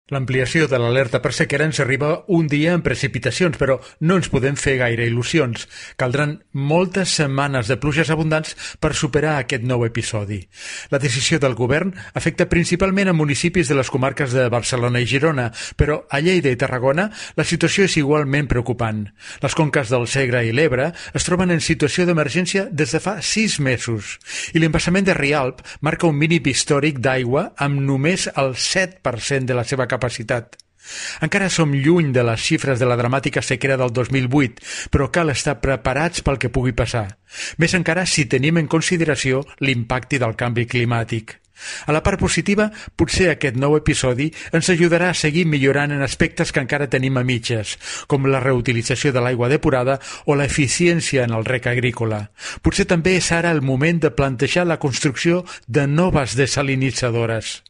L'ampliació de l'alerta per sequera ens arriba un dia amb precipitacions, però no ens podem fer gaire il·lusions. Caldran moltes setmanes de pluges abundants per superar aquest nou episodi. La decisió del govern afecta principalment a municipis de les comarques de Barcelona i Girona, però a Lleida i Tarragona la situació és igualment preocupant. Les conques del Segre i l'Ebre es troben en situació d'emergència des de fa 6 mesos i l'embassament de Rialp marca un mínim històric d'aigua amb només el 7% de la seva capacitat. Encara som lluny de les xifres de la dramàtica sequera del 2008, però cal estar preparats pel que pugui passar. Més encara si tenim en consideració l'impacte del canvi climàtic. A la part positiva, potser aquest nou episodi ens ajudarà a seguir millorant en aspectes que encara tenim a mitges, com la reutilització de l'aigua depurada o l'eficiència en el rec agrícola. Potser també és ara el moment de plantejar la construcció de noves desalinitzadores.